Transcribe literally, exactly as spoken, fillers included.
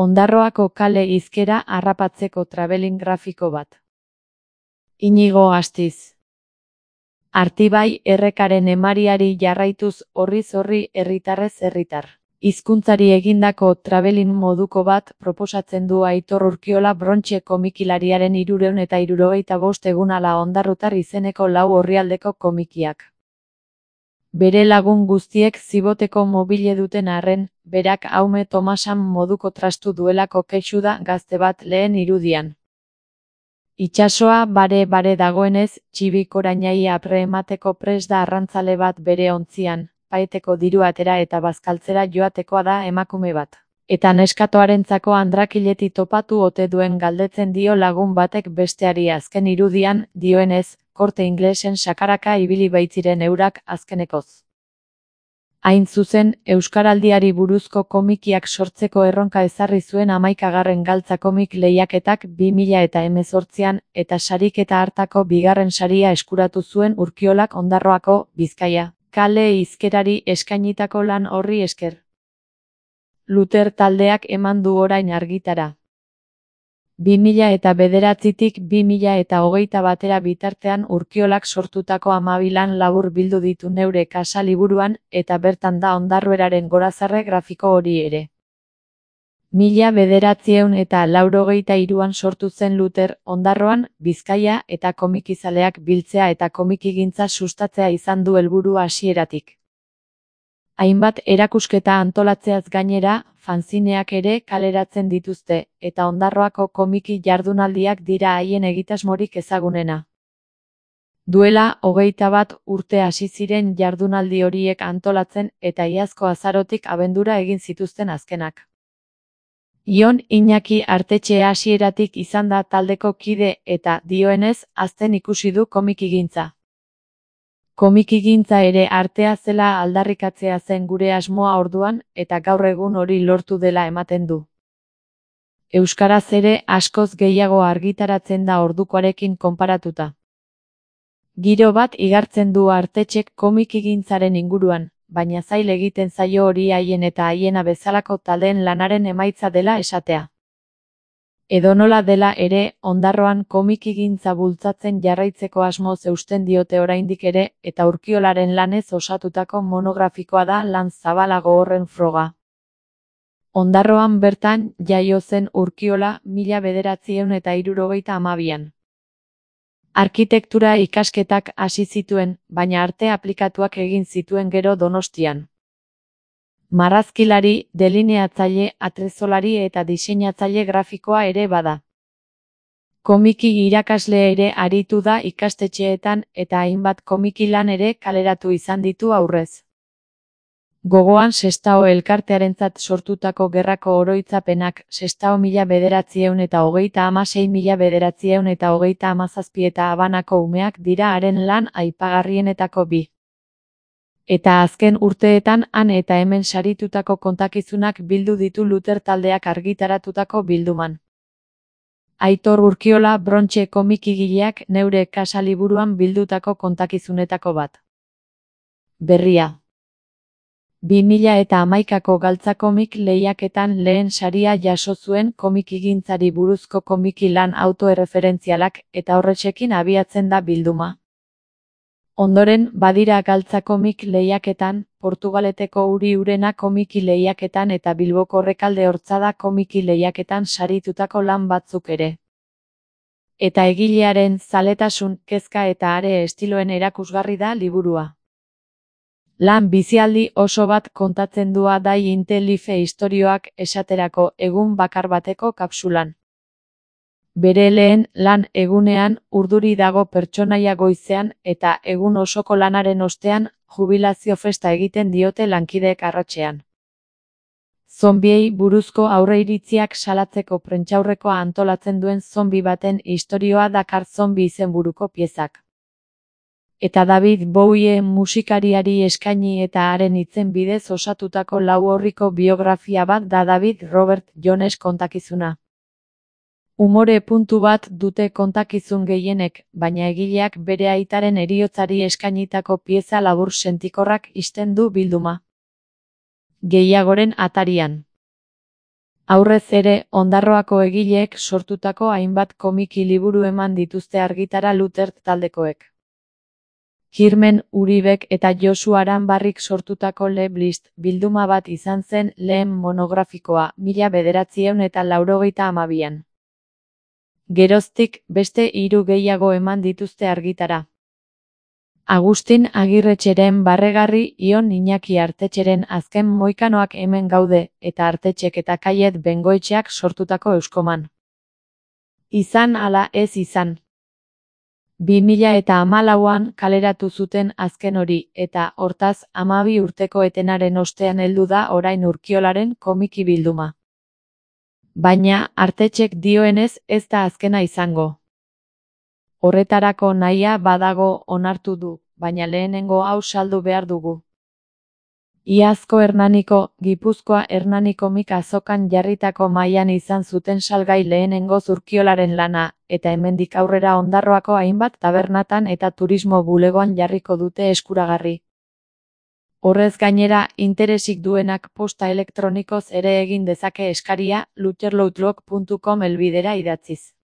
Ondarroako kale hizkera harrapatzeko travelling grafiko bat. Inigo Astiz. Artibai errekaren emariari jarraituz horriz horri herritarrez herritar. Hizkuntzari egindako travelling moduko bat proposatzen du Aitor Urkiola Brontxe komikilariaren hirurehun eta hirurogeita bost egun ala ondarrutar izeneko lau orrialdeko komikiak. Bere lagun guztiek ziboteko mobile duten arren, berak Aume Tomasan moduko trastu duelako kexu da gazte bat lehen irudian. Itsasoa bare-bare dagoenez, txibikorainai apre emateko prest da arrantzale bat bere ontzian, paeteko diru atera eta bazkaltzera joatekoa da emakume bat. Eta neskatoarentzako andrakileti topatu ote duen galdetzen dio lagun batek besteari azken irudian, dioenez, Korte Inglesen sakaraka ibili baitziren eurak azkenekoz. Hain zuzen, Euskaraldiari buruzko komikiak sortzeko erronka ezarri zuen hamaikagarren galtza komik lehiaketak bi mila eta hemezortzian eta sariketa hartako bigarren saria eskuratu zuen Urkiolak Ondarroako, Bizkaia, kale hizkerari eskainitako lan horri esker. Luter taldeak eman du orain argitara. bi mila eta bederatzitik bi mila eta hogeita batera bitartean Urkiolak sortutako hamabi lan labur bildu ditu Neure Kasa liburuan, eta bertan da Ondarrueraren gorazarre grafiko hori ere. Mila bederatziehun eta laurogeita hiruan sortu zen Luter, Ondarroan, Bizkaia eta komikizaleak biltzea eta komikigintza sustatzea izan du helburu hasieratik. Hainbat erakusketa antolatzeaz gainera, fanzineak ere kaleratzen dituzte, eta Ondarroako komiki jardunaldiak dira haien egitasmorik ezagunena. Duela hogeita bat urte hasi ziren jardunaldi horiek antolatzen eta iazko azarotik abendura egin zituzten azkenak. Ion Iñaki Artetxe hasieratik izan da taldeko kide eta, dioenez, hazten ikusi du komikigintza. Komikigintza ere artea zela aldarrikatzea zen gure asmoa orduan, eta gaur egun hori lortu dela ematen du. Euskaraz ere askoz gehiago argitaratzen da ordukoarekin konparatuta. Giro bat igartzen du Artetxek komikigintzaren inguruan, baina zail egiten zaio hori haien eta haiena bezalako taldeen lanaren emaitza dela esatea. Edonola dela ere, Ondarroan komikigintza bultzatzen jarraitzeko asmoz eusten diote oraindik ere, eta Urkiolaren lanez osatutako monografikoa da lan zabalago horren froga. Ondarroan bertan jaio zen Urkiola mila bederatziehun eta hirurogeita hamabian. Arkitektura ikasketak hasi zituen, baina arte aplikatuak egin zituen gero Donostian. Marrazkilari, delineatzaile, atrezolari eta diseinatzaile grafikoa ere bada. Komiki irakasle ere aritu da ikastetxeetan eta hainbat komiki lan ere kaleratu izan ditu aurrez. Gogoan Sestao elkartearentzat sortutako gerrako oroitzapenak, Sestao mila bederatziehun eta hogeita hamasei mila bederatziehun eta hogeita hamazazpi eta Habanako umeak dira haren lan aipagarrienetako bi. Eta azken urteetan han eta hemen saritutako kontakizunak bildu ditu Luter taldeak argitaratutako bilduman. Aitor Urkiola Brontxe komikigileak Neure Kasa liburuan bildutako kontakizunetako bat. Berria. bi mila eta hamaikako galtza komik lehiaketan lehen saria jaso zuen komikigintzari buruzko komiki lan autoerreferentzialak eta horretxekin abiatzen da bilduma. Ondoren, badira galtza komik lehiaketan, Portugaleteko Uri Urena komiki lehiaketan eta Bilboko Rekalde Hortzada komiki lehiaketan saritutako lan batzuk ere. Eta egilearen zaletasun, kezka eta are estiloen erakusgarri da liburua. Lan bizialdi oso bat kontatzen dua dai Inte-Life istorioak esaterako egun bakar bateko kapsulan. Bere lehen lan egunean urduri dago pertsonaia goizean eta egun osoko lanaren ostean jubilazio festa egiten diote lankideek arratsean. Zombiei buruzko aurreiritziak salatzeko prentsaurrekoa antolatzen duen zombi baten istorioa dakar zombi izenburuko piezak. Eta David Bowie musikariari eskaini eta haren hitzen bidez osatutako lau orriko biografia bat da David Robert Jones kontakizuna. Umore puntu bat dute kontakizun gehienek, baina egileak bere aitaren heriotzari eskainitako pieza labur sentikorrak ixten du bilduma. Gehiagoren atarian. Aurrez ere, Ondarroako egileek sortutako hainbat komiki liburu eman dituzte argitara Lutert taldekoek. Kirmen Uribek eta Josu Aranbarrik sortutako Le Blist bilduma bat izan zen lehen monografikoa, mila bederatziehun eta laurogeita hamabian. Geroztik, beste hiru gehiago eman dituzte argitara. Agustin Agirretxeren Barregarri, Ion Iñaki Artetxeren Azken Moikanoak hemen gaude, eta Artetxek eta Kaiet Bengoetxeak sortutako Euskoman. Izan ala ez izan. bi mila eta hamalauan kaleratu zuten azken hori, eta, hortaz, hamabi urteko etenaren ostean heldu da orain Urkiolaren komiki bilduma. Baina, Artetxek dioenez ez da azkena izango. Horretarako nahia badago onartu du, baina lehenengo hau saldu behar dugu. Iazko Hernaniko, Gipuzkoa Hernani komik azokan jarritako mahaian izan zuten salgai lehenengo Urkiolaren lana, eta hemendik aurrera Ondarroako hainbat tabernatan eta turismo bulegoan jarriko dute eskuragarri. Horrez gainera, interesik duenak posta elektronikoz ere egin dezake eskaria, luterloutlog puntu com helbidera idatziz.